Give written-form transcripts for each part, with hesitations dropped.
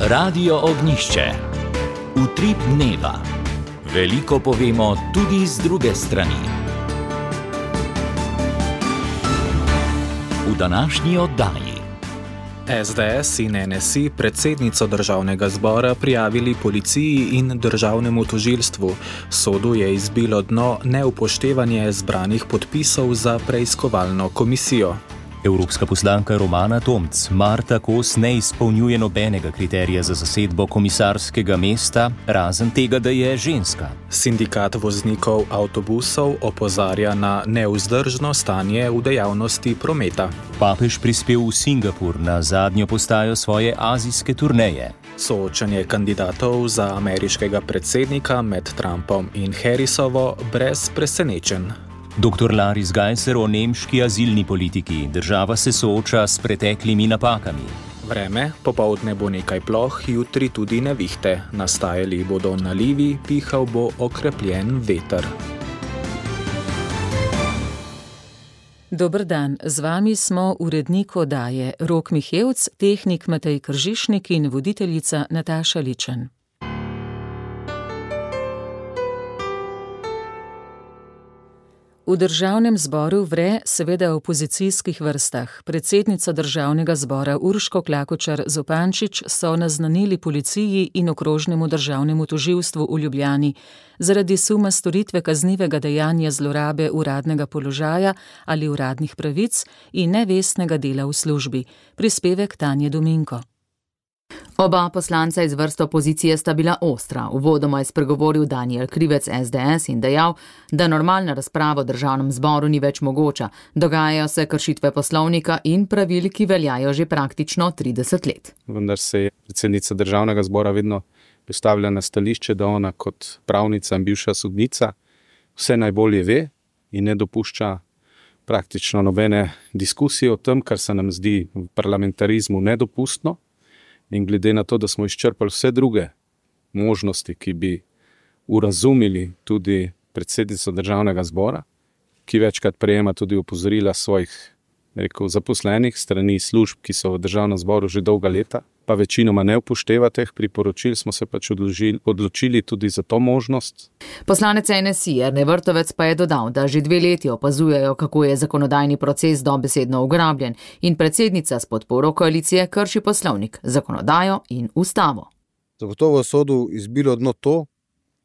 Radio Ognjišče. Utrip dneva. Veliko povemo tudi z druge strani. V današnji oddaji. SDS in NSI predsednico državnega zbora prijavili policiji in državnemu tožilstvu. Sodu je izbilo dno neupoštevanje zbranih podpisov za preiskovalno komisijo. Evropska poslanka Romana Tomc Marta Kos ne izpolnjuje nobenega kriterija za zasedbo komisarskega mesta, razen tega, da je ženska. Sindikat voznikov avtobusov opozarja na nevzdržno stanje v dejavnosti prometa. Papež prispel v Singapur na zadnjo postajo svoje azijske turneje. Soočanje kandidatov za ameriškega predsednika med Trumpom in Harrisovo brez presenečenj. Dr. Laris Gajser o nemški azilni politiki. Država se sooča s preteklimi napakami. Vreme, popoldne bo nekaj ploh, jutri tudi nevihte. Nastajali bodo nalivi, pihal bo okrepljen veter. Dober dan, z vami smo urednik oddaje Rok Mihevc, tehnik Matej Kržišnik in voditeljica Nataša Ličen. V državnem zboru vre seveda v opozicijskih vrstah. Predsednica državnega zbora Urško Klakočar Zupančič so naznanili policiji in okrožnemu državnemu tožilstvu v Ljubljani zaradi suma storitve kaznivega dejanja zlorabe uradnega položaja ali uradnih pravic in nevestnega dela v službi. Prispevek Tanje Dominko. Oba poslanca iz vrst opozicije sta bila ostra. Uvodoma je spregovoril Danijel Krivec SDS in dejal, da normalna razprava v državnem zboru ni več mogoča. Dogajajo se kršitve poslovnika in pravil, ki veljajo že praktično 30 let. Vendar se je predsednica državnega zbora vedno postavila na stališče, da ona kot pravnica in bivša sodnica vse najbolje ve in ne dopušča praktično nobene diskusije o tem, kar se nam zdi v parlamentarizmu nedopustno. In glede na to, da smo izčrpali vse druge možnosti, ki bi urazumili tudi predsednico državnega zbora, ki večkrat prejema tudi opozorila svojih zaposlenih strani služb, ki so v državnem zboru že dolga leta, pa večinoma ne upošteva teh priporočil, smo se pač odločili tudi za to možnost. Poslanec NSI Jernej Vrtovec pa je dodal, da že 2 leti opazujejo, kako je zakonodajni proces dobesedno ugrabljen in predsednica s podporo koalicije krši poslovnik, zakonodajo in ustavo. Zagotovo sodu izbilo dno to,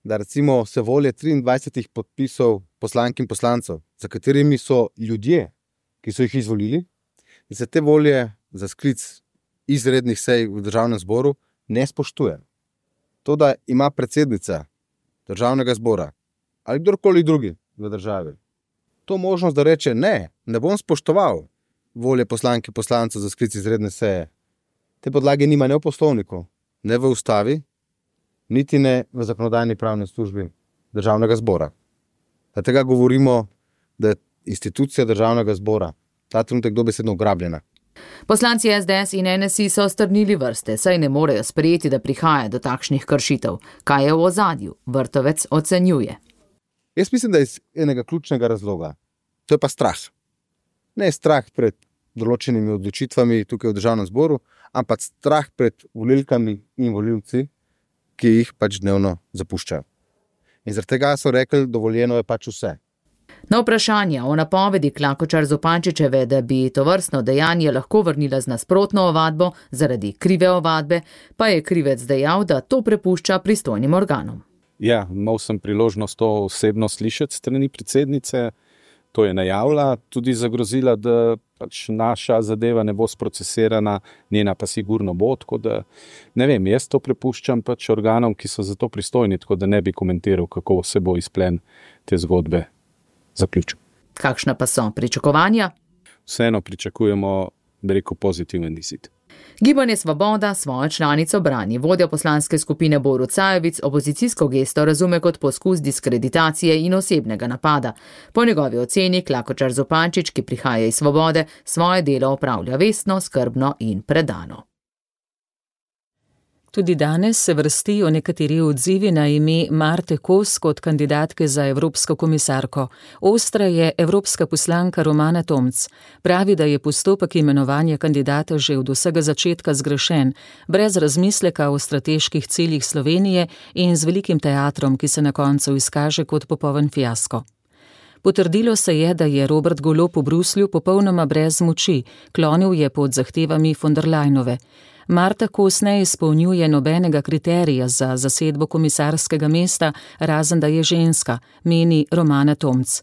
da recimo se volje 23 podpisov poslank in poslancev, za katerimi so ljudje, ki so jih izvolili, in se te volje za sklic izrednih sej v državnem zboru ne spoštuje. To, da ima predsednica državnega zbora ali kdorkoli drugi v državi to možnost, da reče ne bom spoštoval volje poslank in poslancev za sklic izredne seje, te podlage nima ne v poslovniku, ne v ustavi, niti ne v zakonodajni pravni službi državnega zbora. Zato govorimo, da je institucija državnega zbora ta trenutek dobesedno ugrabljena. Poslanci SDS in NSI so strnili vrste, saj ne morejo sprejeti, da prihaja do takšnih kršitev. Kaj je v ozadju? Vrtovec ocenjuje. Jaz mislim, da je iz enega ključnega razloga. To je pa strah. Ne strah pred določenimi odločitvami tukaj v državnem zboru, ampak strah pred volilkami in volilci, ki jih pač dnevno zapuščajo. In zaradi tega so rekli, dovoljeno je pač vse. Na vprašanje o napovedi Klakočar Zupančičeve, da bi tovrstno dejanje lahko vrnila z nasprotno ovadbo zaradi krive ovadbe, pa je Krivec dejal, da to prepušča pristojnim organom. Ja, imel sem priložnost to osebno slišati strani predsednice, to je najavila, tudi zagrozila, da pač naša zadeva ne bo sprocesirana, njena pa sigurno bo, tako da ne vem, jaz to prepuščam pač organom, ki so za to pristojni, tako da ne bi komentiral, kako se bo izplen te zgodbe zaključil. Kakšna pa so pričakovanja? Vseeno pričakujemo, pozitiven izid. Gibanje Svoboda svojo članico brani. Vodja poslanske skupine Borut Sajovic opozicijsko gesto razume kot poskus diskreditacije in osebnega napada. Po njegovi oceni Klakočar Zupančič, ki prihaja iz Svobode, svoje delo opravlja vestno, skrbno in predano. Tudi danes se vrstijo nekateri odzivi na ime Marte Kos kot kandidatke za evropsko komisarko. Ostra je evropska poslanka Romana Tomc. Pravi, da je postopek imenovanja kandidata že od vsega začetka zgrešen, brez razmisleka o strateških ciljih Slovenije in z velikim teatrom, ki se na koncu izkaže kot popoln fiasko. Potrdilo se je, da je Robert Golob v Bruslju popolnoma brez moči, klonil je pod zahtevami von der Leyenove. Marta Kos ne izpolnjuje nobenega kriterija za zasedbo komisarskega mesta, razen da je ženska, meni Romana Tomc.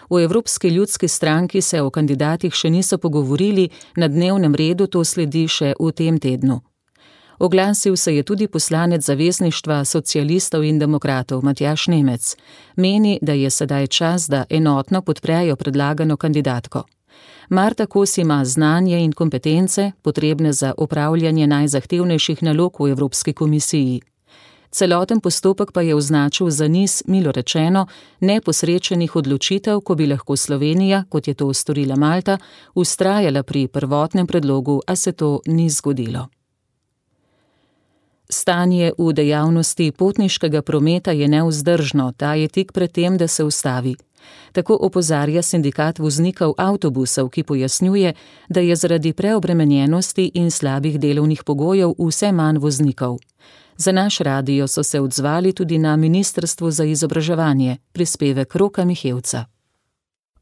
V Evropski ljudski stranki se o kandidatih še niso pogovorili, na dnevnem redu to sledi še v tem tednu. Oglasil se je tudi poslanec Zavezništva socialistov in demokratov Matjaž Nemec. Meni, da je sedaj čas, da enotno podprejo predlagano kandidatko. Marta Kos ima znanje in kompetence, potrebne za upravljanje najzahtevnejših nalog v Evropski komisiji. Celoten postopek pa je označil za niz, milo rečeno, neposrečenih odločitev, ko bi lahko Slovenija, kot je to storila Malta, vztrajala pri prvotnem predlogu, a se to ni zgodilo. Stanje v dejavnosti potniškega prometa je nevzdržno, ta je tik pred tem, da se ustavi. Tako opozarja sindikat voznikov avtobusov, ki pojasnjuje, da je zaradi preobremenjenosti in slabih delovnih pogojev vse manj voznikov. Za naš radio so se odzvali tudi na Ministrstvu za izobraževanje, prispevek Roka Mihevca.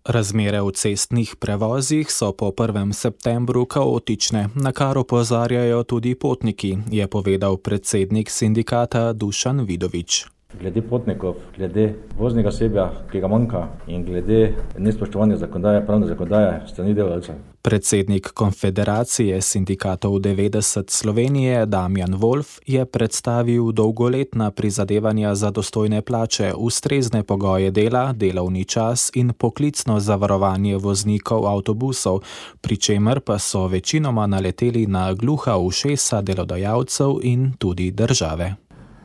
Razmere v cestnih prevozih so po 1. septembru kaotične, na kar opozarjajo tudi potniki, je povedal predsednik sindikata Dušan Vidovič. Glede potnikov, glede voznega osebja, ki ga manjka, in glede nespoštovanja zakonodaje, pravne zakonodaje strani delavcev. Predsednik Konfederacije sindikatov 90 Slovenije Damjan Wolf je predstavil dolgoletna prizadevanja za dostojne plače, ustrezne pogoje dela, delovni čas in poklicno zavarovanje voznikov avtobusov, pri čemer pa so večinoma naleteli na gluha ušesa delodajalcev in tudi države.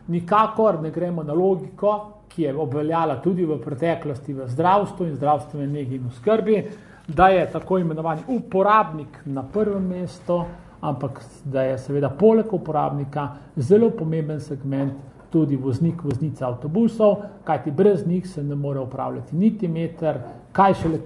Nikakor ne gremo na logiko, ki je obveljala tudi v preteklosti v zdravstvu in zdravstvene negi in oskrbi, da je tako imenovani uporabnik na prvem mestu, ampak da je seveda poleg uporabnika zelo pomemben segment tudi voznik, voznica avtobusov, kajti brez njih se ne more upravljati niti meter, kaj šele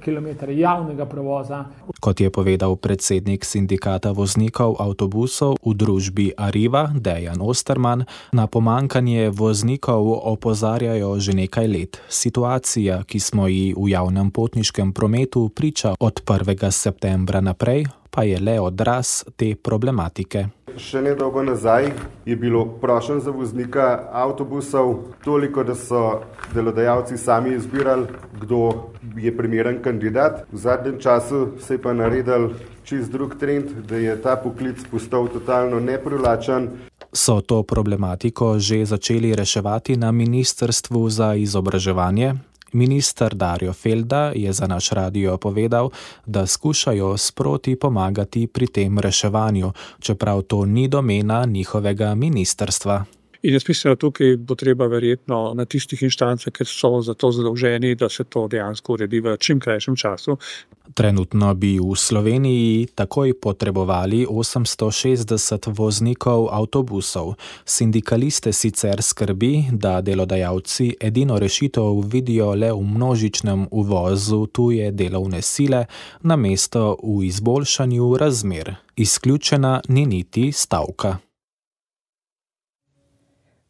kilometre javnega prevoza. Kot je povedal predsednik sindikata voznikov avtobusov v družbi Arriva Dejan Osterman, na pomanjkanje voznikov opozarjajo že nekaj let. Situacija, ki smo ji v javnem potniškem prometu priča od 1. septembra naprej, pa je le odraz te problematike. Še nedolgo nazaj je bilo prošenj za voznika avtobusov toliko, da so delodajalci sami izbirali, kdo je primeren kandidat. V zadnjem času se je pa naredil čist drug trend, da je ta poklic postal totalno neprivlačen. So to problematiko že začeli reševati na Ministrstvu za izobraževanje? Minister Darjo Felda je za naš radio povedal, da skušajo sproti pomagati pri tem reševanju, čeprav to ni domena njihovega ministrstva. In jaz mislim, da tukaj bo treba verjetno na tistih inštancah, ker so za to zadolženi, da se to dejansko uredi v čim krajšem času. Trenutno bi v Sloveniji takoj potrebovali 860 voznikov avtobusov. Sindikaliste sicer skrbi, da delodajalci edino rešitev vidijo le v množičnem uvozu tuje delovne sile, namesto v izboljšanju razmer. Izključena ni niti stavka.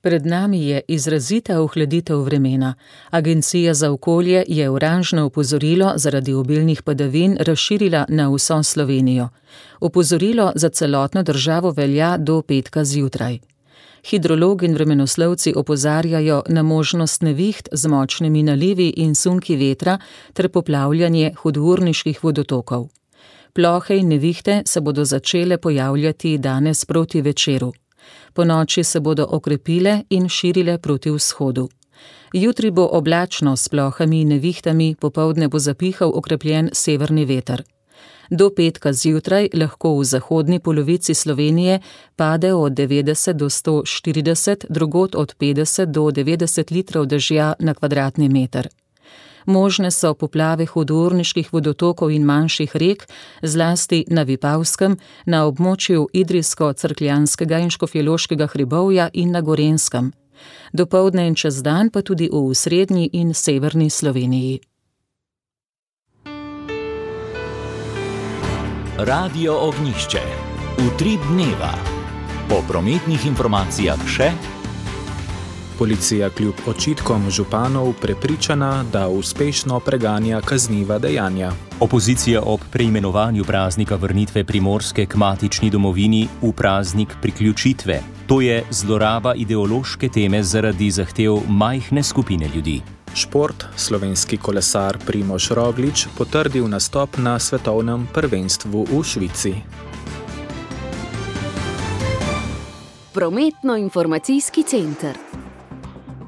Pred nami je izrazita ohladitev vremena. Agencija za okolje je oranžno opozorilo zaradi obilnih padavin razširila na vso Slovenijo. Opozorilo za celotno državo velja do petka zjutraj. Hidrologi in vremenoslovci opozarjajo na možnost neviht z močnimi nalivi in sunki vetra ter poplavljanje hudourniških vodotokov. Plohe in nevihte se bodo začele pojavljati danes proti večeru. Ponoči se bodo okrepile in širile proti vzhodu. Jutri bo oblačno s plohami in nevihtami, popoldne bo zapihal okrepljen severni veter. Do petka zjutraj lahko v zahodni polovici Slovenije pade od 90 do 140, drugod od 50 do 90 litrov dežja na kvadratni meter. Možne so poplave hudourniških vodotokov in manjših rek, zlasti na Vipavskem, na območju Idrijsko-Cerkljanskega in Škofjeloškega hribovja in na Gorenjskem. Dopoldne in čez dan pa tudi v srednji in severni Sloveniji. Radio Ognjišče. Utrip dneva. Po prometnih informacijah še: policija kljub očitkom županov prepričana, da uspešno preganja kazniva dejanja. Opozicija ob preimenovanju praznika vrnitve Primorske k matični domovini v praznik priključitve. To je zloraba ideološke teme zaradi zahtev majhne skupine ljudi. Šport. Slovenski kolesar Primož Roglič potrdil nastop na svetovnem prvenstvu v Švici. Prometno-informacijski center.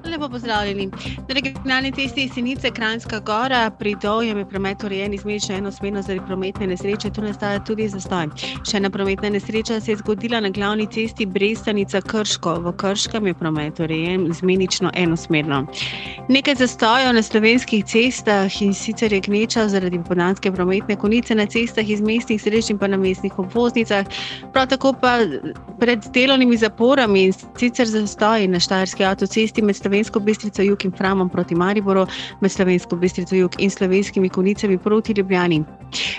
Lepo pozdravljeni. Na regionalni cesti Jesenice Kranjska Gora pri Dovjem je promet urejen izmenično enosmerno zaradi prometne nesreče, tu nastaja tudi zastoj. Še ena prometna nesreča se je zgodila na glavni cesti Brestanica Krško. V Krškem je promet urejen izmenično enosmerno. Nekaj zastojev na slovenskih cestah, in sicer je gneča zaradi popoldanske prometne konice na cestah iz mestnih središč in pa na mestnih obvoznicah. Prav tako pa pred delovnimi zaporami, in sicer zastoji na Štajerski avtocesti med Slovensko Bistrico Jug in Framom proti Mariboru, med Slovensko Bistrico Jug in Slovenskimi Konicami proti Ljubljani.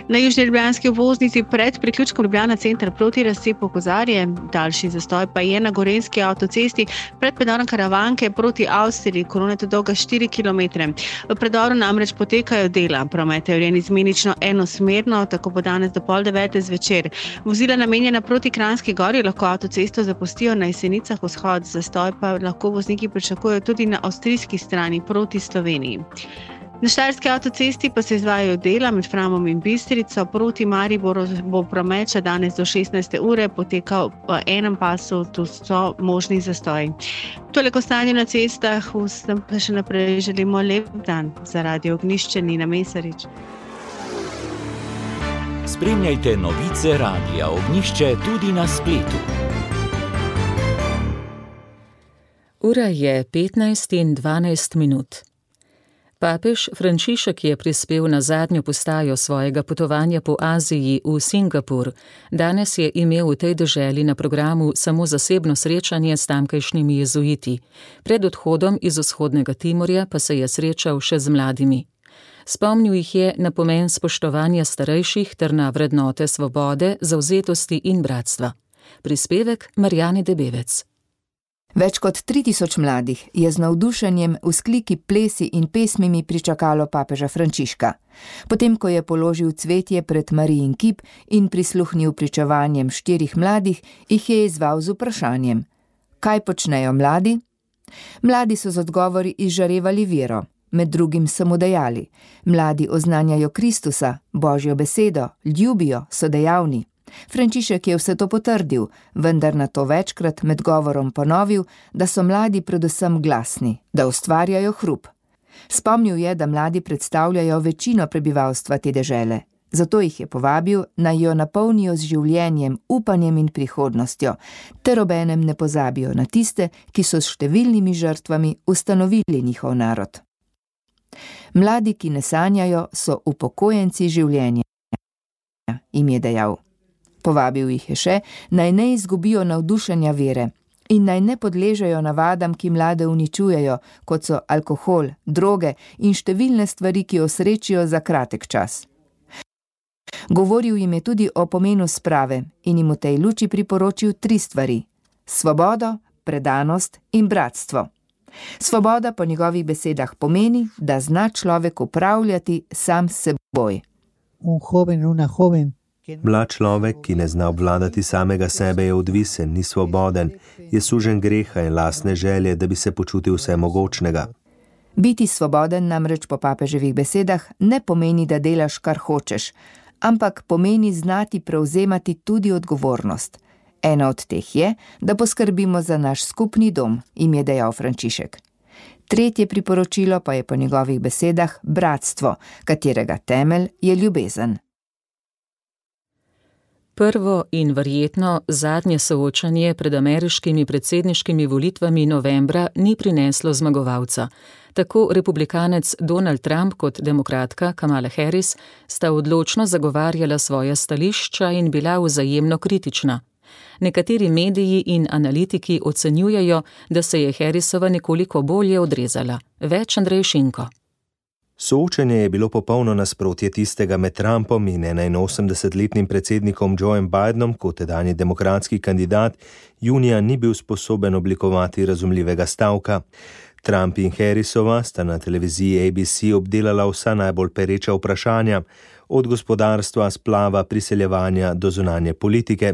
Na južni ljubljanski obvoznici pred priključkom Ljubljana center proti razcepu Kozarje, daljši zastoj pa je na Gorenjski avtocesti pred predorom Karavanke proti Avstriji, kolona je dolga 4 km. V predoru namreč potekajo dela, promet je urejen izmenično enosmerno, tako bo danes do 8:30 zvečer. Vozila namenjena proti Kranjski Gori lahko avtocesto zapustijo na Jesenicah vzhod, zastoj pa lahko vozniki pričakujejo tudi na avstrijski strani proti Sloveniji. Na Štajerski avtocesti pa se izvajajo dela med Framom in Bistrico, proti Mariboru bo promet še danes do 16. ure potekal v enem pasu, tu so možni zastoji. Toliko stanje na cestah, vsem pa še naprej želimo lep dan. Za Radio Ognjišče Nina Mesarič. Spremljajte novice Radia Ognjišče tudi na spletu. Ura je 15:12. Papež Frančišek je prispel na zadnjo postajo svojega potovanja po Aziji v Singapur. Danes je imel v tej deželi na programu samo zasebno srečanje s tamkajšnjimi jezuiti. Pred odhodom iz vzhodnega Timorja pa se je srečal še z mladimi. Spomnil jih je na pomen spoštovanja starejših ter na vrednote svobode, zavzetosti in bratstva. Prispevek Marjane Debevec. Več kot 3000 mladih je z navdušenjem, vzkliki, plesi in pesmimi pričakalo papeža Frančiška. Potem, ko je položil cvetje pred Marijin kip in prisluhnil pričevanjem 4 mladih, jih je izzval z vprašanjem: kaj počnejo mladi? Mladi so z odgovori izžarevali vero. Med drugim so mu dejali: mladi oznanjajo Kristusa, Božjo besedo, ljubijo, so dejavni. Frančišek je vse to potrdil, vendar na to večkrat med govorom ponovil, da so mladi predvsem glasni, da ustvarjajo hrup. Spomnil je, da mladi predstavljajo večino prebivalstva te dežele. Zato jih je povabil, naj jo napolnijo z življenjem, upanjem in prihodnostjo, ter obenem ne pozabijo na tiste, ki so s številnimi žrtvami ustanovili njihov narod. Mladi, ki ne sanjajo, so upokojenci življenja, jim je dejal. Povabil jih je še, naj ne izgubijo navdušenja vere in naj ne podležejo navadam, ki mlade uničujejo, kot so alkohol, droge in številne stvari, ki osrečijo za kratek čas. Govoril jim je tudi o pomenu sprave in jim v tej luči priporočil 3 stvari: svobodo, predanost in bratstvo. Svoboda po njegovih besedah pomeni, da zna človek upravljati sam s seboj. Mlad človek, ki ne zna obvladati samega sebe, je odvisen, ni svoboden, je sužen greha in lastne želje, da bi se počutil vsemogočnega. Biti svoboden namreč po papeževih besedah ne pomeni, da delaš, kar hočeš, ampak pomeni znati prevzemati tudi odgovornost. Ena od teh je, da poskrbimo za naš skupni dom, jim je dejal Frančišek. 3. priporočilo pa je po njegovih besedah bratstvo, katerega temelj je ljubezen. Prvo in verjetno zadnje soočanje pred ameriškimi predsedniškimi volitvami novembra ni prineslo zmagovalca. Tako republikanec Donald Trump kot demokratka Kamala Harris sta odločno zagovarjala svoja stališča in bila vzajemno kritična. Nekateri mediji in analitiki ocenjujejo, da se je Harrisova nekoliko bolje odrezala. Več Andrej Šinko. Soočenje je bilo popolno nasprotje tistega med Trumpom in 81-letnim predsednikom Joeom Bidenom, kot tedanji demokratski kandidat, junija ni bil sposoben oblikovati razumljivega stavka. Trump in Harrisova sta na televiziji ABC obdelala vsa najbolj pereča vprašanja, od gospodarstva, splava, priseljevanja do zunanje politike,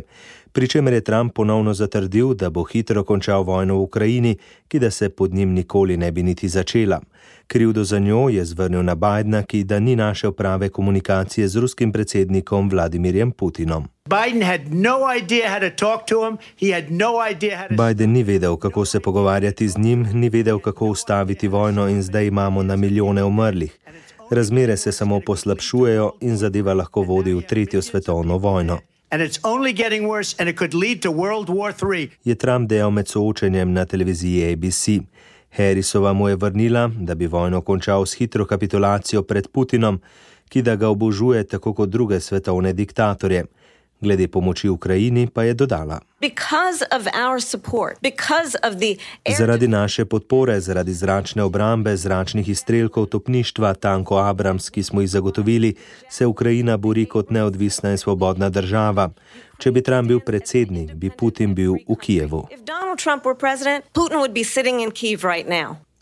pri čemer je Trump ponovno zatrdil, da bo hitro končal vojno v Ukrajini, ki da se pod njim nikoli ne bi niti začela. Krivdo za njo je zvrnil na Bidena, ki da ni našel prave komunikacije z ruskim predsednikom Vladimirjem Putinom. Biden ni vedel, kako se pogovarjati z njim, ni vedel, kako ustaviti vojno in zdaj imamo na milijone umrlih. Razmere se samo poslabšujejo in zadeva lahko vodi v tretjo svetovno vojno. Je Trump dejal med soočenjem na televiziji ABC. Harrisova mu je vrnila, da bi vojno končal s hitro kapitulacijo pred Putinom, ki da ga obožuje tako kot druge svetovne diktatorje. Glede pomoči Ukrajini pa je dodala: Zaradi naše podpore, zaradi zračne obrambe, zračnih izstrelkov, topništva, tankov Abrams, ki smo jih zagotovili, se Ukrajina bori kot neodvisna in svobodna država. Če bi Trump bil predsednik, bi Putin bil v Kijevu.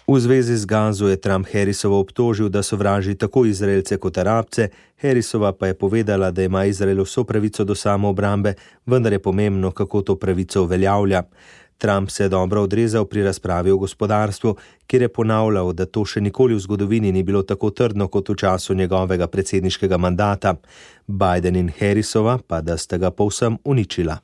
V zvezi z Gazo je Trump Harrisovo obtožil, da sovraži tako Izraelce kot Arabce, Harrisova pa je povedala, da ima Izrael vso pravico do samoobrambe, vendar je pomembno, kako to pravico uveljavlja. Trump se je dobro odrezal pri razpravi o gospodarstvu, kjer je ponavljal, da to še nikoli v zgodovini ni bilo tako trdno kot v času njegovega predsedniškega mandata. Biden in Harrisova pa da sta ga povsem uničila.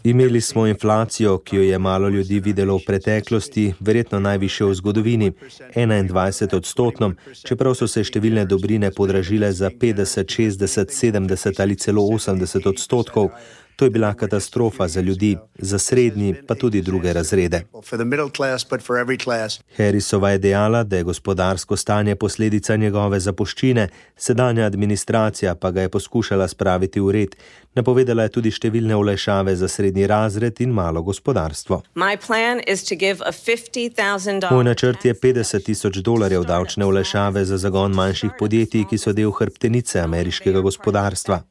Imeli smo inflacijo, ki jo je malo ljudi videlo v preteklosti, verjetno najvišjo v zgodovini, 21%, čeprav so se številne dobrine podražile za 50, 60, 70 ali celo 80%. To je bila katastrofa za ljudi, za srednji pa tudi druge razrede. Harrisova je dejala, da je gospodarsko stanje posledica njegove zapuščine, sedanja administracija pa ga je poskušala spraviti v red. Napovedala je tudi številne olajšave za srednji razred in malo gospodarstvo. Moj načrt je $50,000 davčne olajšave za zagon manjših podjetij, ki so del hrbtenice ameriškega gospodarstva.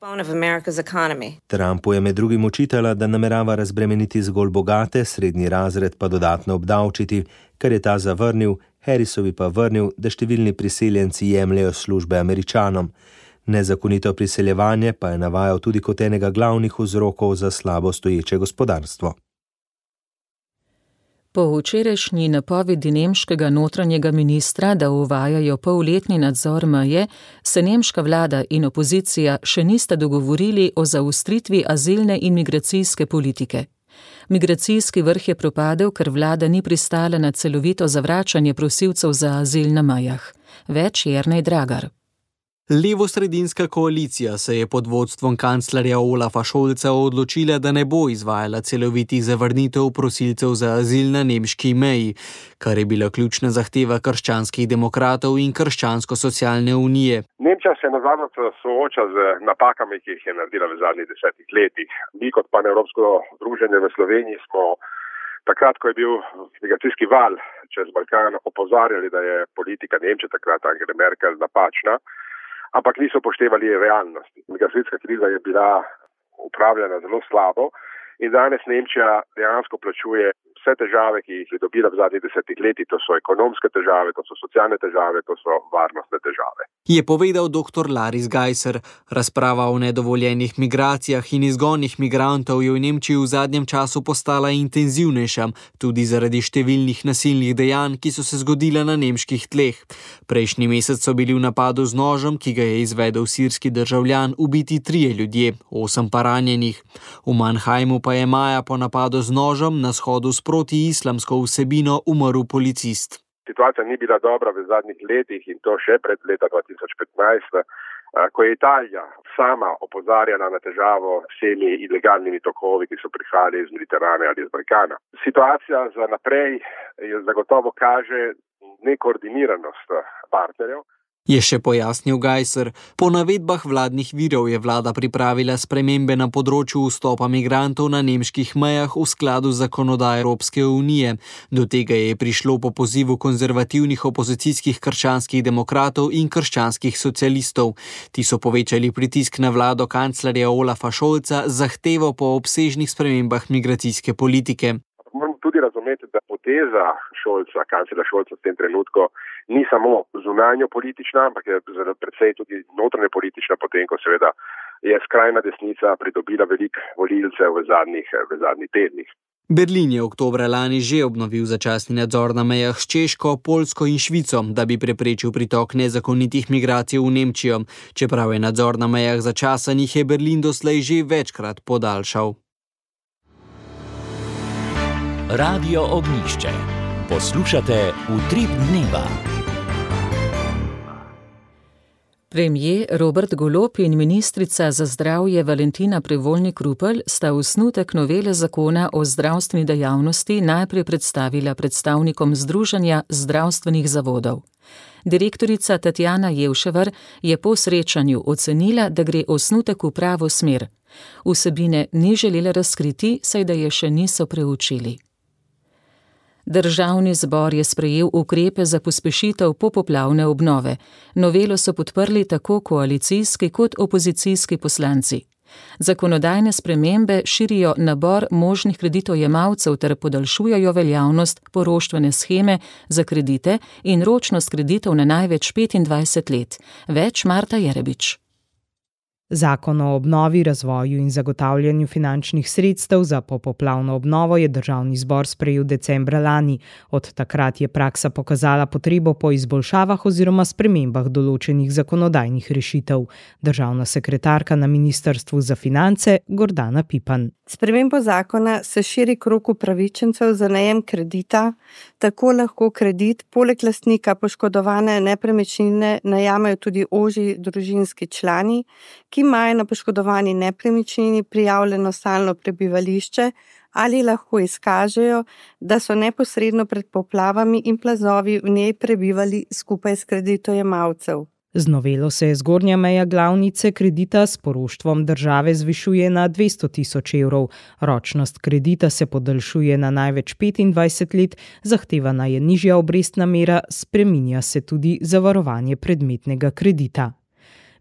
Trumpu je med drugim očitala, da namerava razbremeniti zgolj bogate, srednji razred pa dodatno obdavčiti, kar je ta zavrnil, Harrisovi pa vrnil, da številni priseljenci jemljejo službe Američanom. Nezakonito priseljevanje pa je navajal tudi kot enega glavnih vzrokov za slabo stoječe gospodarstvo. Po včerajšnji napovedi nemškega notranjega ministra, da uvajajo polletni nadzor meje, se nemška vlada in opozicija še nista dogovorili o zaostritvi azilne in migracijske politike. Migracijski vrh je propadel, ker vlada ni pristala na celovito zavračanje prosilcev za azil na mejah. Več Jernej Dragar. Levosredinska koalicija se je pod vodstvom kanclerja Olafa Scholza odločila, da ne bo izvajala celovitih zavrnitev prosilcev za azil na nemški meji, kar je bila ključna zahteva krščanskih demokratov in krščansko-socialne unije. Nemčija se nazadnje sooča z napakami, ki jih je naredila v zadnjih 10 letih. Mi kot panevropsko združenje v Sloveniji smo takrat, ko je bil migracijski val čez Balkan, opozarjali, da je politika Nemčije, takrat Angela Merkel, napačna, ampak niso upoštevali realnosti. Migracijska kriza je bila upravljena zelo slabo in danes Nemčija dejansko plačuje vse težave, ki jih je dobila v zadnjih 10 letih. To so ekonomske težave, to so socialne težave, to so varnostne težave. Je povedal dr. Laris Geiser. Razprava o nedovoljenih migracijah in izgonih migrantov je v Nemčiji v zadnjem času postala intenzivnejša, tudi zaradi številnih nasilnih dejanj, ki so se zgodila na nemških tleh. Prejšnji mesec so bili v napadu z nožem, ki ga je izvedel sirski državljan, ubiti 3 ljudje, 8 pa ranjenih. V Mannheimu pa je maja po napadu z nožem na shodu s protiislamsko vsebino umrl policist. Situacija ni bila dobra v zadnjih letih in to še pred leta 2015. Ko je Italija sama opozarjala na težavo s temi ilegalnimi tokovi, ki so prihajali iz Mediterana ali iz Balkana. Situacija za naprej zagotovo kaže nekoordiniranost partnerjev. Je še pojasnil Gajser. Po navedbah vladnih virov je vlada pripravila spremembe na področju vstopa migrantov na nemških mejah v skladu z zakonodajo Evropske unije. Do tega je prišlo po pozivu konzervativnih opozicijskih krščanskih demokratov in krščanskih socialistov. Ti so povečali pritisk na vlado kanclerja Olafa Scholza z zahtevo po obsežnih spremembah migracijske politike. Moramo tudi razumeti, da poteza kanclerja Scholza v tem trenutku ni samo zunanjo politična, ampak je predvsej tudi notranje politična, potem ko seveda je skrajna desnica pridobila veliko volilcev v zadnjih tednih. Berlin je oktobra lani že obnovil začasni nadzor na mejah s Češko, Poljsko in Švico, da bi preprečil pritok nezakonitih migracij v Nemčijo. Čeprav je nadzor na mejah začasen, jih je Berlin doslej že večkrat podaljšal. Radio Ognjišče. Poslušate Utrip dneva. Premier Robert Golob in ministrica za zdravje Valentina Prevolnik Rupel sta osnutek novele zakona o zdravstveni dejavnosti najprej predstavila predstavnikom Združenja zdravstvenih zavodov. Direktorica Tatjana Jevševar je po srečanju ocenila, da gre osnutek v pravo smer. Vsebine ni želela razkriti, saj da je še niso preučili. Državni zbor je sprejel ukrepe za pospešitev popoplavne obnove. Novelo so podprli tako koalicijski kot opozicijski poslanci. Zakonodajne spremembe širijo nabor možnih kreditojemalcev ter podaljšujejo veljavnost poroštvene sheme za kredite in ročnost kreditov na največ 25 let. Več Marta Jerebič. Zakon o obnovi, razvoju in zagotavljanju finančnih sredstev za popoplavno obnovo je državni zbor sprejel decembra lani. Od takrat je praksa pokazala potrebo po izboljšavah oziroma spremembah določenih zakonodajnih rešitev. Državna sekretarka na Ministrstvu za finance Gordana Pipan. Spremembo zakona se širi krog upravičencev za najem kredita, tako lahko kredit poleg lastnika poškodovane nepremičnine najamejo tudi ožji družinski člani, ki imajo na poškodovani nepremičnini prijavljeno stalno prebivališče ali lahko izkažejo, da so neposredno pred poplavami in plazovi v njej prebivali skupaj s kreditojemalcev. Z novelo se zgornja meja glavnice kredita s poroštvom države zvišuje na 200 tisoč evrov. Ročnost kredita se podaljšuje na največ 25 let, zahtevana je nižja obrestna mera, spreminja se tudi zavarovanje predmetnega kredita.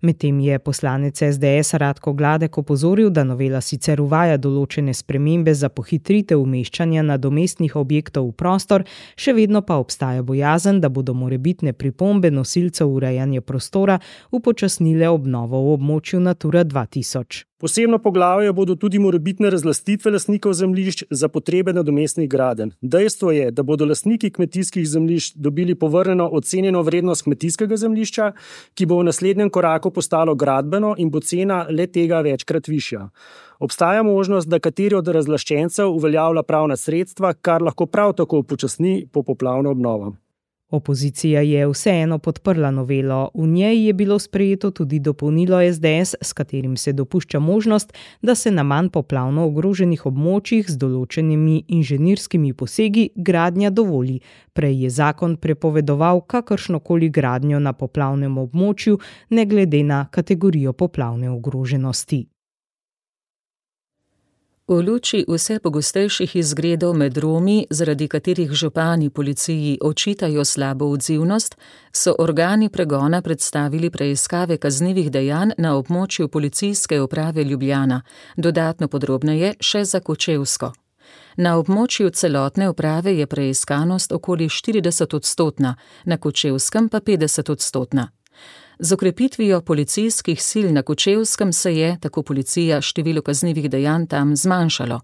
Medtem je poslanec SDS Radko Gladek opozoril, da novela sicer uvaja določene spremembe za pohitritev umeščanja nadomestnih objektov v prostor, še vedno pa obstaja bojazen, da bodo morebitne pripombe nosilcev urejanja prostora upočasnile obnovo v območju Natura 2000. Posebno poglavje bodo tudi morebitne razlastitve lastnikov zemljišč za potrebe nadomestnih gradenj. Dejstvo je, da bodo lastniki kmetijskih zemljišč dobili povrnjeno ocenjeno vrednost kmetijskega zemljišča, ki bo v naslednjem koraku postalo gradbeno in bo cena le tega večkrat višja. Obstaja možnost, da kateri od razlaščencev uveljavlja pravna sredstva, kar lahko prav tako upočasni popoplavno obnovo. Opozicija je vseeno podprla novelo. V njej je bilo sprejeto tudi dopolnilo SDS, s katerim se dopušča možnost, da se na manj poplavno ogroženih območjih z določenimi inženirskimi posegi gradnja dovoli. Prej je zakon prepovedoval kakršnokoli gradnjo na poplavnem območju, ne glede na kategorijo poplavne ogroženosti. V luči vse pogostejših izgredov med Romi, zaradi katerih župani policiji očitajo slabo odzivnost, so organi pregona predstavili preiskave kaznivih dejanj na območju policijske uprave Ljubljana, dodatno podrobneje še za Kočevsko. Na območju celotne uprave je preiskanost okoli 40-odstotna, na Kočevskem pa 50-odstotna. Z okrepitvijo policijskih sil na Kočevskem se je, tako policija, število kaznivih dejanj tam zmanjšalo.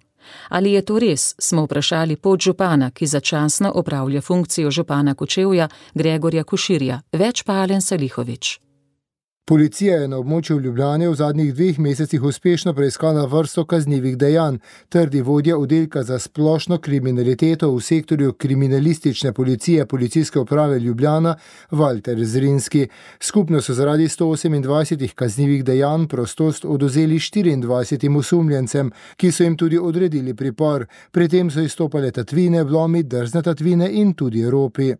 Ali je to res, smo vprašali podžupana, ki začasno opravlja funkcijo župana Kočevja, Gregorja Koširja. Več pa Alen Salihović. Policija je na območju Ljubljane v zadnjih 2 mesecih uspešno preiskala vrsto kaznivih dejanj, trdi vodja oddelka za splošno kriminaliteto v sektorju kriminalistične policije Policijske uprave Ljubljana Valter Zrinski. Skupno so zaradi 128 kaznivih dejanj prostost odvzeli 24 osumljencem, ki so jim tudi odredili pripor. Pri tem so izstopale tatvine, vlomi, drzne tatvine in tudi ropi.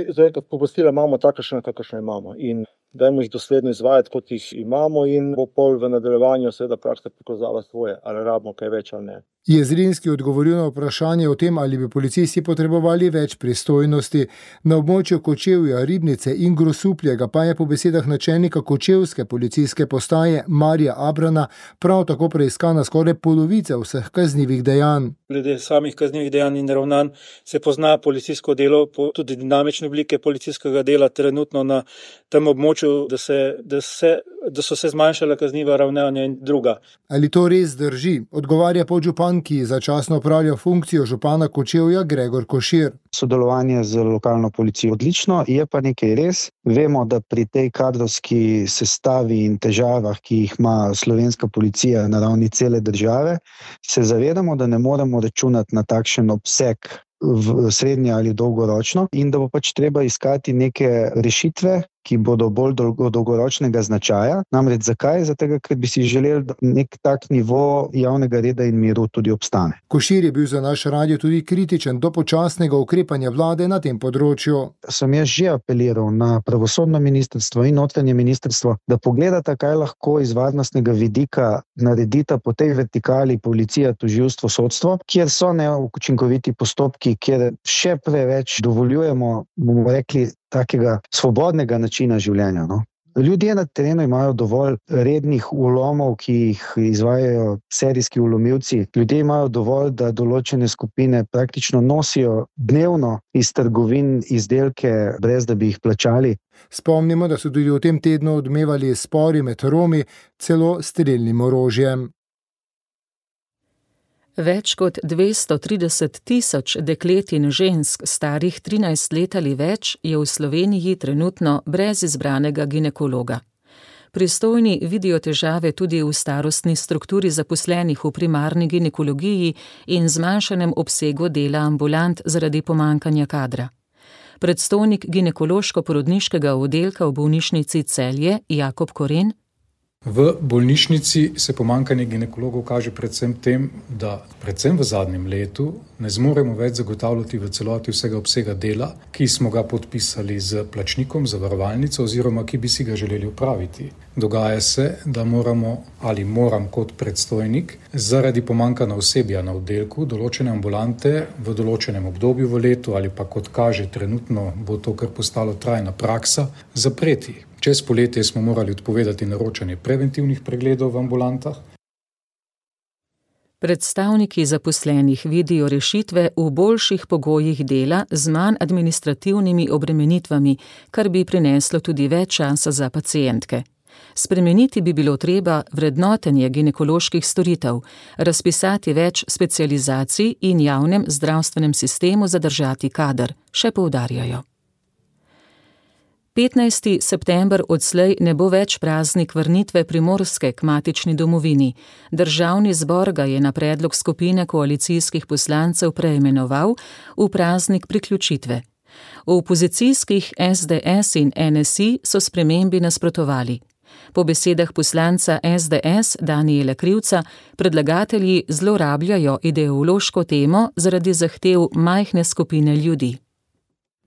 Zdaj, pooblastila imamo takšne, kakršne imamo in dajmo jih dosledno izvajati, kot jih imamo in bo pol v nadaljevanju seveda praksa pokazala svoje, ali rabimo kaj več ali ne. Je Zrinski odgovoril na vprašanje o tem, ali bi policisti potrebovali več pristojnosti. Na območju Kočevja, Ribnice in Grosuplja pa je po besedah načelnika kočevske policijske postaje Marija Abrana prav tako preiskana skoraj polovica vseh kaznivih dejanj. Glede samih kaznivih dejanj in ravnanj se pozna policijsko delo, tudi dinamične oblike policijskega dela trenutno na tem območju, da so se zmanjšala kazniva ravnanja in druga. Ali to res drži? Odgovarja podžupan, ki začasno opravlja funkcijo župana Kočevja, Gregor Košir. Sodelovanje z lokalno policijo odlično, je pa nekaj res. Vemo, da pri tej kadrovski sestavi in težavah, ki jih ima slovenska policija na ravni cele države, se zavedamo, da ne moremo računati na takšen obseg v srednje ali dolgoročno in da bo pač treba iskati neke rešitve, ki bodo bolj dolgoročnega značaja. Namreč zakaj? Zato, ker bi si želeli, da nek tak nivo javnega reda in miru tudi obstane. Košir je bil za naš radio tudi kritičen do počasnega ukrepanja vlade na tem področju. Sem jaz že apeliral na pravosodno ministrstvo in notranje ministrstvo, da pogledata, kaj lahko iz varnostnega vidika naredita po tej vertikali policija, tožilstvo, sodstvo, kjer so neučinkoviti postopki, kjer še preveč dovoljujemo, bomo rekli, takega svobodnega načina življenja. No? Ljudje na terenu imajo dovolj rednih vlomov, ki jih izvajajo serijski vlomilci. Ljudje imajo dovolj, da določene skupine praktično nosijo dnevno iz trgovin izdelke, brez da bi jih plačali. Spomnimo, da so tudi v tem tednu odmevali spori med Romi, celo strelnim orožjem. Več kot 230 tisoč deklet in žensk starih 13 let ali več je v Sloveniji trenutno brez izbranega ginekologa. Pristojni vidijo težave tudi v starostni strukturi zaposlenih v primarni ginekologiji in zmanjšanem obsegu dela ambulant zaradi pomanjkanja kadra. Predstojnik ginekološko-porodniškega oddelka v bolnišnici Celje Jakob Koren: V bolnišnici se pomanjkanje ginekologov kaže predvsem tem, da predvsem v zadnjem letu ne zmoremo več zagotavljati v celoti vsega obsega dela, ki smo ga podpisali z plačnikom, zavarovalnico oziroma ki bi si ga želeli opraviti. Dogaja se, da moram kot predstojnik zaradi pomanjkanja osebja na oddelku določene ambulante v določenem obdobju v letu ali pa kot kaže trenutno bo to kar postalo trajna praksa, zapreti. Čez poletje smo morali odpovedati naročanje preventivnih pregledov v ambulantah. Predstavniki zaposlenih vidijo rešitve v boljših pogojih dela z manj administrativnimi obremenitvami, kar bi prineslo tudi več časa za pacientke. Spremeniti bi bilo treba vrednotenje ginekoloških storitev, razpisati več specializacij in javnem zdravstvenem sistemu zadržati kader, še poudarjajo. 15. september odslej ne bo več praznik vrnitve Primorske k matični domovini. Državni zbor ga je na predlog skupine koalicijskih poslancev preimenoval v praznik priključitve. V opozicijskih SDS in NSI so spremembi nasprotovali. Po besedah poslanca SDS Danijela Krivca predlagatelji zlorabljajo ideološko temo zaradi zahtev majhne skupine ljudi.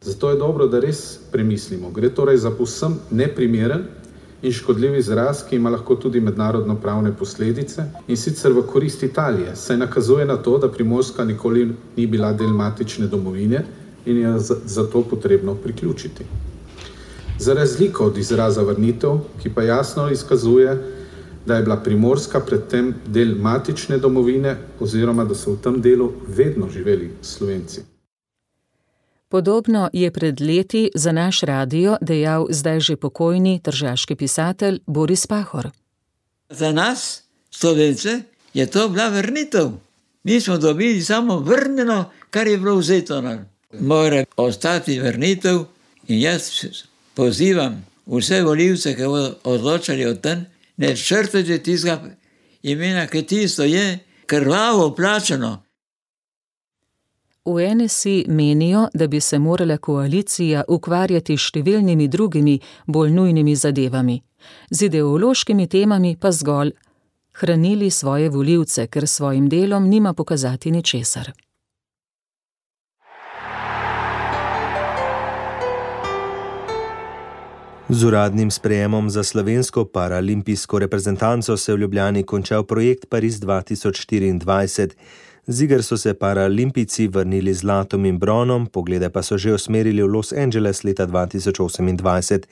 Zato je dobro, da res premislimo. Gre torej za povsem neprimeren in škodljiv izraz, ki ima lahko tudi mednarodno pravne posledice in sicer v korist Italije, saj nakazuje na to, da Primorska nikoli ni bila del matične domovine in je zato potrebno priključiti. Za razliko od izraza vrnitev, ki pa jasno izkazuje, da je bila Primorska predtem del matične domovine oziroma da so v tem delu vedno živeli Slovenci. Podobno je pred leti za naš radio dejal zdaj že pokojni tržaški pisatelj Boris Pahor. Za nas, Slovence, je to bila vrnitev. Mi smo dobili samo vrnjeno, kar je bilo vzeto. Mora ostati vrnitev in jaz pozivam vse volivce, ki bodo odločali o tem, ne črtajte tistega imena, ki tisto je krvavo plačano. V NSI menijo, da bi se morala koalicija ukvarjati s številnimi drugimi, bolj nujnimi zadevami. Z ideološkimi temami pa zgolj hranili svoje volivce, ker s svojim delom nima pokazati ničesar. Z uradnim sprejemom za slovensko paralimpijsko reprezentanco se je v Ljubljani končal projekt Pariz 2024. Z iger so se paralimpijci vrnili z zlatom in bronom, poglede pa so že usmerili v Los Angeles leta 2028.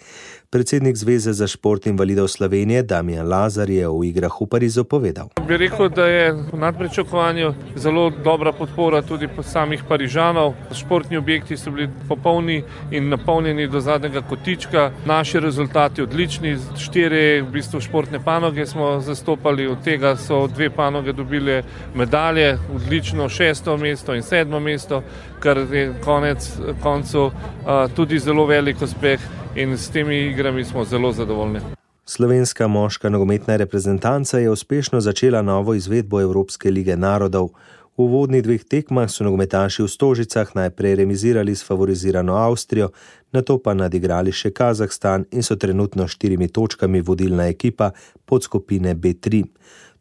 Predsednik Zveze za šport invalidov Slovenije Damijan Lazar je o igrah v Parizu povedal. Bi rekel, da je v nadpričakovanju zelo dobra podpora tudi samih Parižanov. Športni objekti so bili popolni in napolnjeni do zadnjega kotička. Naši rezultati odlični, 4 v bistvu športne panoge smo zastopali, od tega so 2 panoge dobile medalje, odlično 6. mesto in 7. mesto, kar je koncu tudi zelo velik uspeh in s temi igrami smo zelo zadovoljni. Slovenska moška nogometna reprezentanca je uspešno začela novo izvedbo Evropske lige narodov. V uvodnih 2 tekmah so nogometaši v Stožicah najprej remizirali s favorizirano Avstrijo, nato pa nadigrali še Kazahstan in so trenutno 4 točkami vodilna ekipa podskupine B3.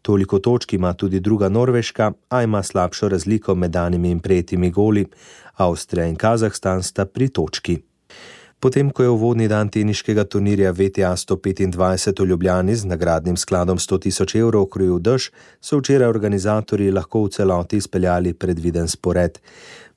Toliko točk ima tudi druga Norveška, a ima slabšo razliko med danimi in prejetimi goli. Avstrija in Kazahstan sta pri točki. Potem, ko je uvodni dan teniškega turnirja VTA 125 v Ljubljani z nagradnim skladom 100 000 evrov krojil dež, so včeraj organizatorji lahko v celoti izpeljali predviden spored.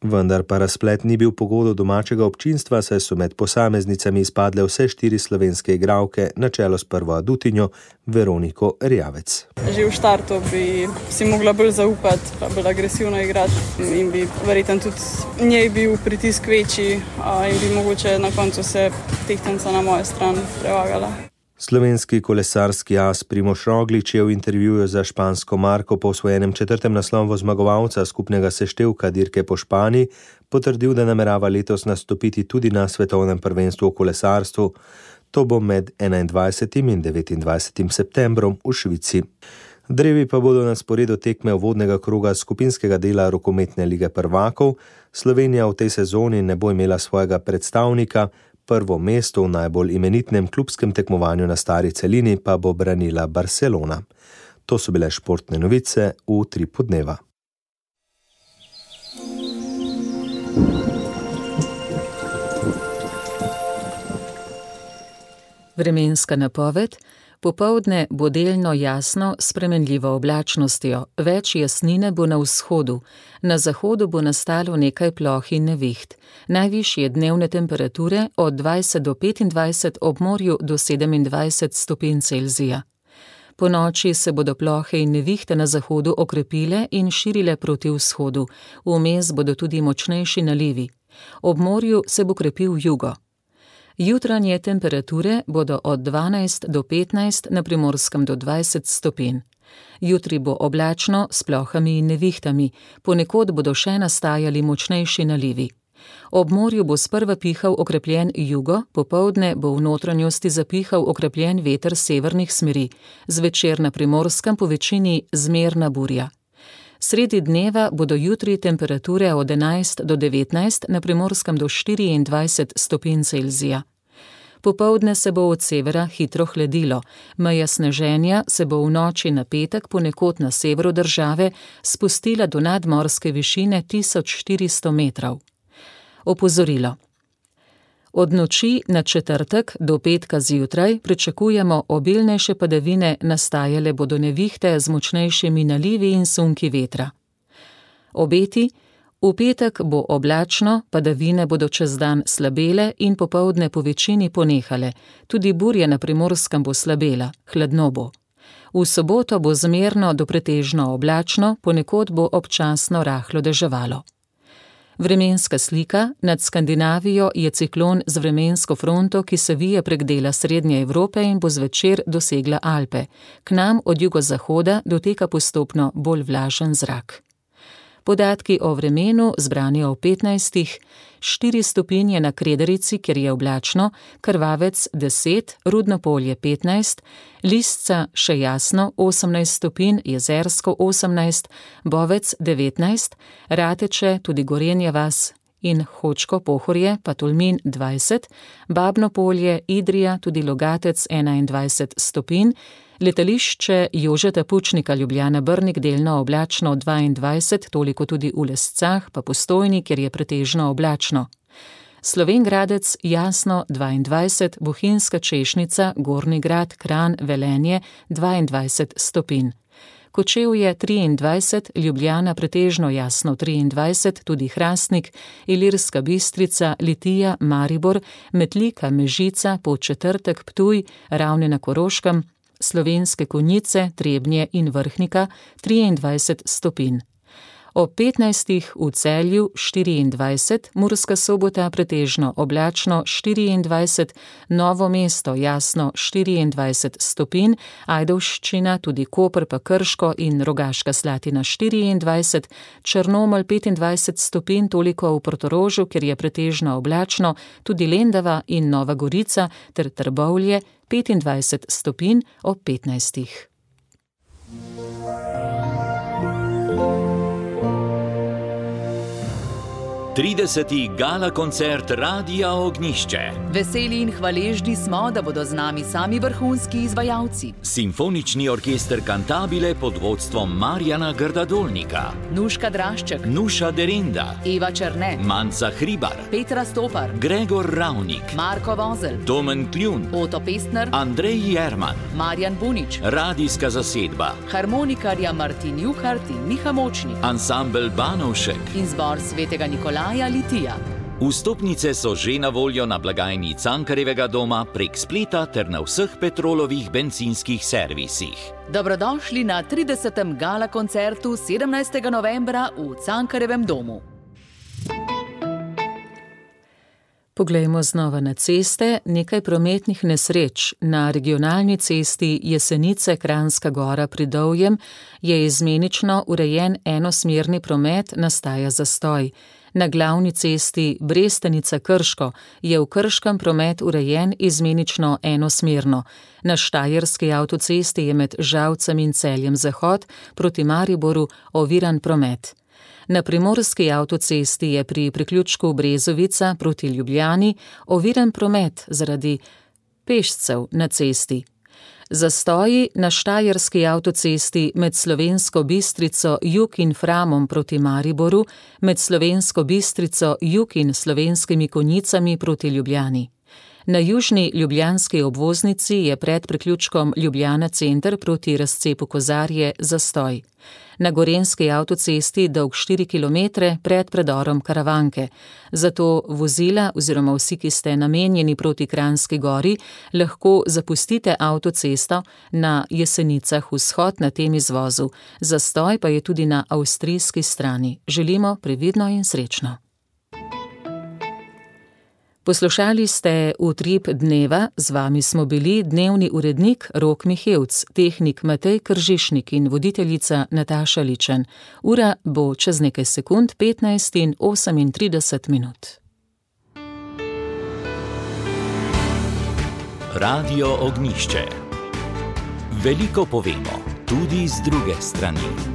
Vendar pa razplet ni bil po godu domačega občinstva, saj so med posameznicami izpadle vse 4 slovenske igralke, na čelo s prvo adutinjo Veroniko Erjavec. Že v štartu bi si mogla bolj zaupati, pa bolj agresivno igrati in bi verjetno tudi njej bil pritisk večji in bi mogoče na koncu se tehtnica na mojo stran prevagala. Slovenski kolesarski as Primož Roglič je v intervjuju za špansko Marko po osvojenem 4. naslovu zmagovalca skupnega seštevka dirke po Španiji potrdil, da namerava letos nastopiti tudi na svetovnem prvenstvu v kolesarstvu. To bo med 21. in 29. septembrom v Švici. Drevi pa bodo na sporedu tekme uvodnega kroga skupinskega dela rokometne lige prvakov. Slovenija v tej sezoni ne bo imela svojega predstavnika, prvo mesto v najbolj imenitnem klubskem tekmovanju na stari celini pa bo branila Barcelona. To so bile športne novice v Utripu dneva. Vremenska napoved. Popoldne bo delno jasno s spremenljivo oblačnostjo, več jasnine bo na vzhodu, na zahodu bo nastalo nekaj ploh in neviht. Najvišje dnevne temperature od 20 do 25, ob morju do 27 stopinj Celzija. Po noči se bodo plohe in nevihte na zahodu okrepile in širile proti vzhodu, vmes bodo tudi močnejši nalivi. Ob morju se bo krepil jugo. Jutranje temperature bodo od 12 do 15, na Primorskem do 20 stopinj. Jutri bo oblačno s plohami in nevihtami, ponekod bodo še nastajali močnejši nalivi. Ob morju bo sprva pihal okrepljen jugo, popoldne bo v notranjosti zapihal okrepljen veter severnih smeri, zvečer na Primorskem po večini zmerna burja. Sredi dneva bodo jutri temperature od 11 do 19, na Primorskem do 24 stopinj Celzija. Popoldne se bo od severa hitro hladilo, meja sneženja se bo v noči na petek ponekod na severu države spustila do nadmorske višine 1400 metrov. Opozorilo. Od noči na četrtek do petka zjutraj pričakujemo obilnejše padavine, nastajale bodo nevihte z močnejšimi nalivi in sunki vetra. Obeti. V petek bo oblačno, padavine bodo čez dan slabele in popoldne po večini ponehale, tudi burja na Primorskem bo slabela, hladno bo. V soboto bo zmerno do pretežno oblačno, ponekod bo občasno rahlo deževalo. Vremenska slika. Nad Skandinavijo je ciklon z vremensko fronto, ki se vije prek dela Srednje Evrope in bo zvečer dosegla Alpe. K nam od jugozahoda doteka postopno bolj vlažen zrak. Podatki o vremenu zbrani o 15, 4 stopinje na Krederici, kjer je oblačno, Krvavec 10, Rudno Polje 15, Lisca še jasno 18 stopinj, Jezersko 18, Bovec 19, Rateče, tudi Gorenja vas in Hočko Pohorje, pa Tolmin 20, Babno Polje, Idrija, tudi Logatec 21 stopinj, letališče Jožeta Pučnika Ljubljana Brnik delno oblačno 22, toliko tudi v Lescah, pa Postojni, kjer je pretežno oblačno. Slovenj Gradec jasno 22, Bohinjska Češnica, Gornji Grad, Kranj, Velenje 22 stopinj. Kočevje 23, Ljubljana pretežno jasno 23, tudi Hrastnik, Ilirska Bistrica, Litija, Maribor, Metlika, Mežica, Podčetrtek, Ptuj, Ravne na Koroškem, Slovenske Konjice, Trebnje in Vrhnika 23 stopinj. Ob 15 v Celju 24, Murska Sobota pretežno oblačno 24, Novo mesto jasno 24 stopinj, Ajdovščina, tudi Koper pa Krško in Rogaška Slatina 24, Črnomelj 25 stopinj, toliko v Portorožu, kjer je pretežno oblačno, tudi Lendava in Nova Gorica ter Trbovlje 25 stopinj ob 15. Trideseti gala koncert Radia Ognjišče. Veseli in hvaležni smo, da bodo z nami sami vrhunski izvajalci. Simfonični orkester Cantabile pod vodstvom Marjana Grdadolnika. Nuška Drašček. Nuša Derinda. Eva Černe. Manca Hribar. Petra Stopar. Gregor Ravnik. Marko Vozel. Domen Kljun. Oto Pestner. Andrej Jerman. Marjan Bunič. Radijska zasedba. Harmonikarja Martin Juhart in Miha Močnik. Ansambel Banovšek. In zbor Svetega Nikolaja Litija. Vstopnice so že na voljo na blagajni Cankarjevega doma prek spleta ter na vseh Petrolovih bencinskih servisih. Dobrodošli na 30. gala koncertu 17. novembra v Cankarjevem domu. Poglejmo znova na ceste. Nekaj prometnih nesreč. Na regionalni cesti Jesenice Kranjska Gora pri Dovjem je izmenično urejen enosmerni promet, nastaja zastoj. Na glavni cesti Brestenica Krško je v Krškem promet urejen izmenično enosmerno. Na Štajerski avtocesti je med Žalcem in Celjem Zahod proti Mariboru oviran promet. Na primorski avtocesti je pri priključku Brezovica proti Ljubljani oviran promet zaradi pešcev na cesti. Zastoji na Štajerski avtocesti med Slovensko Bistrico Jug in Framom proti Mariboru, med Slovensko Bistrico Jug in Slovenskimi Konjicami proti Ljubljani. Na južni ljubljanski obvoznici je pred priključkom Ljubljana center proti razcepu Kozarje zastoj. Na gorenjski avtocesti dolg 4 km pred predorom Karavanke. Zato vozila oziroma vsi, ki ste namenjeni proti Kranjski Gori, lahko zapustite avtocesto na Jesenicah vzhod na tem izvozu. Zastoj pa je tudi na avstrijski strani. Želimo previdno in srečno. Poslušali ste Utrip dneva, z vami smo bili dnevni urednik Rok Mihevc, tehnik Matej Kržišnik in voditeljica Nataša Ličen. Ura bo čez nekaj sekund 15 in 38 minut. Radio Ognjišče. Veliko povemo, tudi z druge strani.